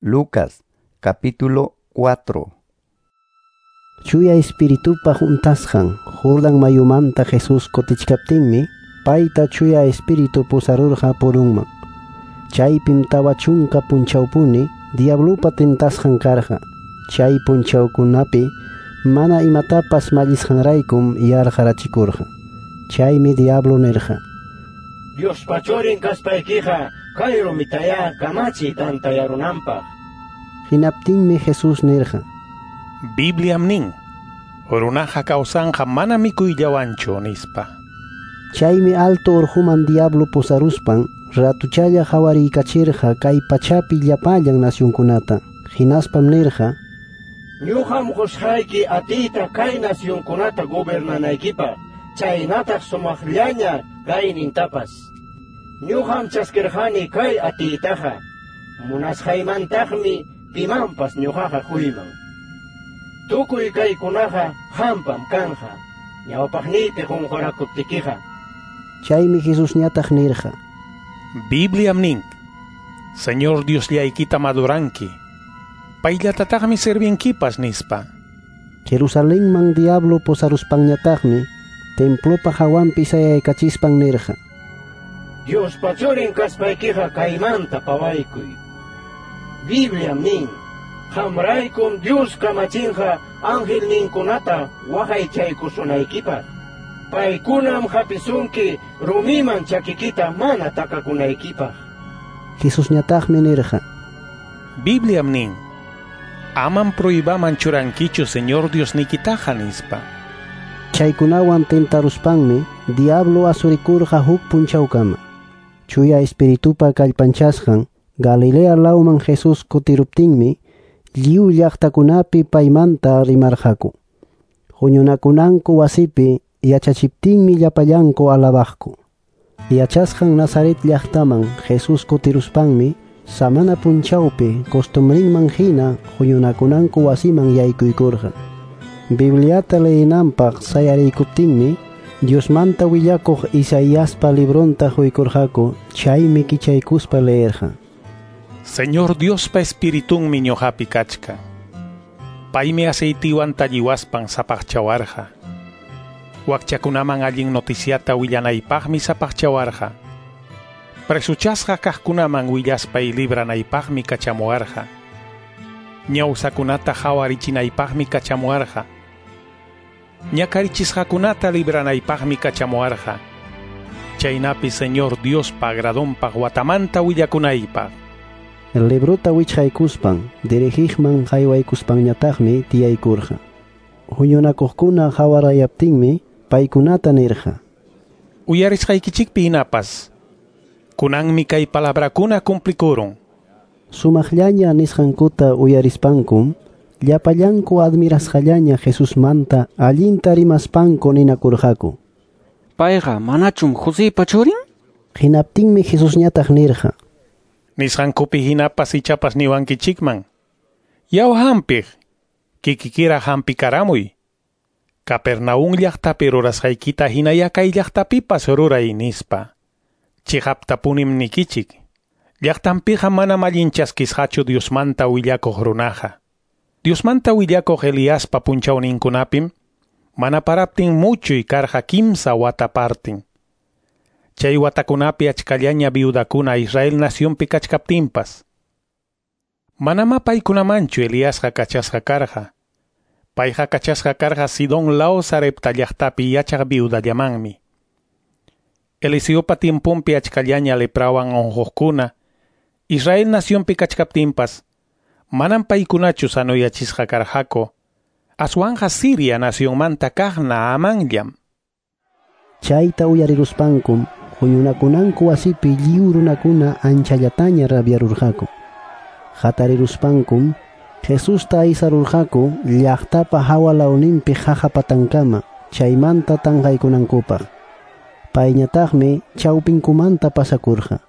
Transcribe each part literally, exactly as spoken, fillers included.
Lucas capítulo cuatro. Chuya Espiritupa juntasqan Jordan mayumanta Jesús kutichkaptinmi payta Chuya Espíritu pusarurqa purunman. Chaypim tawa chunka punchawpuni diablupa tentasqan karqa. Chay punchawkunapi mana imatapas mallisqanraykum yarqarachikurqa. Chaymi diablo nirqa: Diospa churin kaspaykiqa kay rumitayá kamachiy tantayarunanpaq. Hinaptinmi Jesús nirqa: Bibliam nin, runaqa kawsanqa mana mikuyllawanchu nispa. Chaymi alto urquman diablo pusaruspan ratuchalla qhawariyachirqa kay pachapi llapallan nacionkunata. Hinaspam nirqa: Ñuqam qusqayki atiyta kay nacionkunata gobernanaykipaq, chaynataq sumaqllaña kaynintapas. Ñuqam chaskirqani kay atiytaqa, munasqaymantaqmi pimanpas ñuqaqa quyman. Tukuy kaykunaqa qampam kanqa, ñawpaqniypi qunqurakuptikiqa. Chaymi Jesusñataq nirqa: Bibliam nin, Señor Diosllaykita maduranki, payllatataqmi servinkipas nispa. Jerusalenman diablo pusaruspanñataqmi templopa hawanpi sayaykachispan nirqa: Diospa churin kaspaykiqa kaymanta pawaykuy. Bibliam nin, qamraykum Dios kamachinqa angelninkunata waqaychaykusunaykipaq. Paykunam hapisunki rumiman chakikita mana takakunaykipaq. Jesusñataqmi nirqa: Bibliam nin, amam prohibaman churankichu Señor Diosnikitaqa nispa. Chaykunawan tentaruspanmi diablo asurikurqa huk punchawkama. Chuya Espiritupa kallpanchasqan Galilea lawman Jesús kutiruptinmi lliw llaqtakunapi paymanta rimarqaku. Huñunakunanku wasipi yachachiptinmi llapallanku alabaqku. Yachasqan Nazaret llaqtaman Jesús kutiruspanmi samana punchawpi costumbrinman hina huñunakunanku wasiman yaykuykurqa. Bibliata leyinanpaq sayariykuptinmi Diosmanta willakuq Isaiaspa libronta huykurqaku, chaymi kichaykuspa leerqa. Señor Diospa Espiritunmi ñuqapi kachkan. Paymi aceitiwan talliwaspan sapaqchawarqa. Wakchakunaman allin noticiata willanaypaqmi sapaqchawarqa. Presuchasqa kaqkunaman willaspay libranaypaqmi kachamuwarqa. Ñawsakunata hawarichinaypaqmi kachamuwarqa. Ñakarichisqakunata libranaypaqmi kachamuwarqa. Chaynapi Señor Diospa agradonpaq watamanta willakunaypaq. El librota wichqaykuspan dirigiqman haywaykuspanñataqmi tiyaykurqa. Huñunakuqkuna hawarayaptinmi paykunata nirqa: Uyarisqaykichikpi hinapas, kunanmi kay palabrakuna cumplikurun. Sumaqllaña nisqankuta uyarispankum llapallanku admirasqallaña Jesusmanta allinta rimaspanku ninakurqaku: Payqa manachum Joseypa churin? Hinaptinmi Jesusñataq nirqa: Nisqankupi hinapas ichapas niwankichikman. Yaw hampiq, kikikira hampikaramuy. Capernaum llaqtapi rurasqaykita hinaya kay llaqtapipas ruray nispa. Chiqaptapunim nikichik, llaqtanpiqa manam allin chaskisqachu Diosmanta willakuq runaqa. Diosmanta willakuq Eliaspa punchawninkunapim mana paraptin muchuy karqa kimsa wata partin. Chay watakunapi achkallaña viudakuna Israel nacionpi kachkaptinpas. Manamá paykunamanchu Eliasqa kachasqa karqa. Payqa kachasqa karqa Sidón law Sarepta llaqtapi yachaq viudallamanmi. Eliseopa tiemponpi achkallaña leprawan unquqkuna Israel nacionpi kachkaptinpas manam paykunachu sanoyachisqa karqaku, aswanqa Siria nacionmanta kaq Naamanllam. Chayta uyariruspankum huñunakunanku wasipi lliw runakuna anchallataña rabiarurqaku. Hatariruspankum Jesusta aysarurqaku llaqtapa hawa lawninpi qaqa patankama chaymanta tanqaykunankupaq. Payñataqmi chawpinkumanta pasakurqa.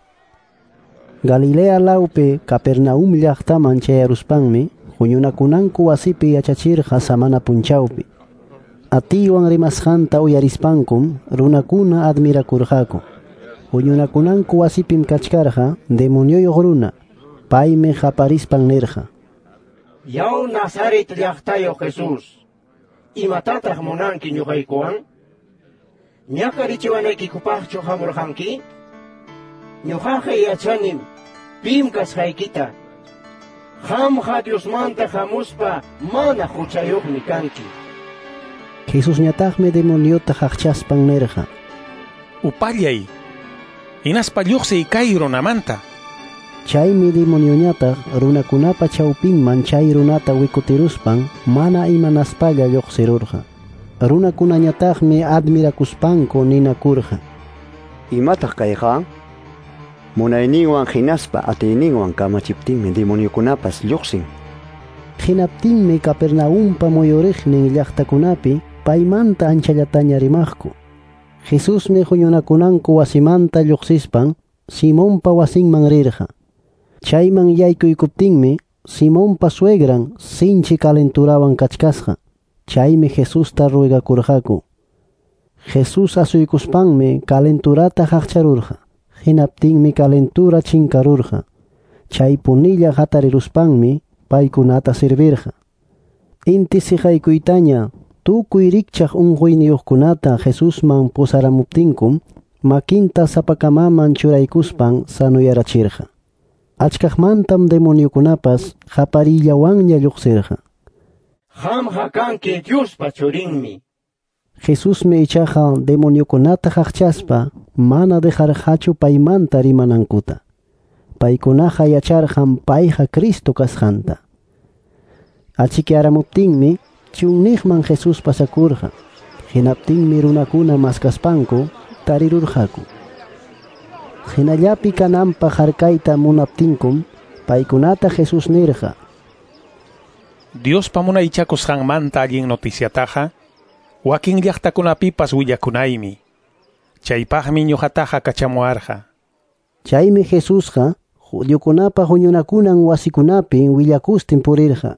Galilea lawpi Capernaum llaqtaman chayaruspanmi huñunakunanku wasipi yachachirqa samana punchawpi. Atiywan rimasqanta uyarispankum runakuna admirakurqaku. Huñunakunanku wasipim kachkarqa demonioyuq runa. Paymi qaparispan nirqa: Yaw Nazaret llaqtayuq Jesús, imatataq munanki ñuqaykuwan? Ñakarichiwanaykikupaqchu hamurqanki? Ñuqaqa yachanim pim kasqaykita. Qamqa Diosmanta hamuspa mana huchayuqmi kanki. Jesusñataqmi demoniota qaqchaspan nirqa: Upallay, hinaspa lluqsiy kay runamanta. Chaymi demonioñataq runakunapa chawpinman chay runata wikutiruspan mana imanaspalla lluqsirurqa. Runakunañataqmi admirakuspanku ninakurqa: Imataq kayqa? Munayninwan hinaspa atiyninwan kamachiptinmi demoniokunapas lluqsin. Hinaptinmi Capernaumpa muyuriqnin llaqtakunapi paymanta anchallataña rimaqku. Jesusmi huñunakunanku wasimanta lluqsispan Simonpa wasinman rirqa. Chayman yaykuykuptinmi Simonpa suegran sinchi calenturawan kachkasqa. Chaymi Jesusta ruegakurqaku. Jesús asuykuspanmi calenturata qaqcharurqa. Hinaptinmi calentura chinkarurqa. Chaypunilla hatariruspanmi paykunata servirqa. Inti siqaykuytaña tukuy rikchaq unquyniyuqkunata Jesusman pusaramuptinkum makinta sapakamaman churaykuspan sanuyarachirqa. Achkaqmantam demoniokunapas qaparillawanña lluqsirqa. Qamqa kanki Diospa churinmi. Jesusmi ichaqa demoniokunata qaqchaspa mana dejarqachu paymanta rimanankuta. Paykunaqa yacharqan payqa Cristo kasqanta. Achikyaramuptinmi chunniqman Jesús pasakurqa. Hinaptinmi runakuna maskaspanku tarirurqaku. Hinallapi kananpaq harkayta munaptinkum paykunata Jesús nirqa: Diospa munaychakusqanmanta allin noticiataqa wakin llaqtakunapipas willakunaymi. Chaypaqmi ñuqataqa kachamuwarqa. Chaymi Jesusqa judiokunapa huñunakunan wasikunapi willakustin purirqa.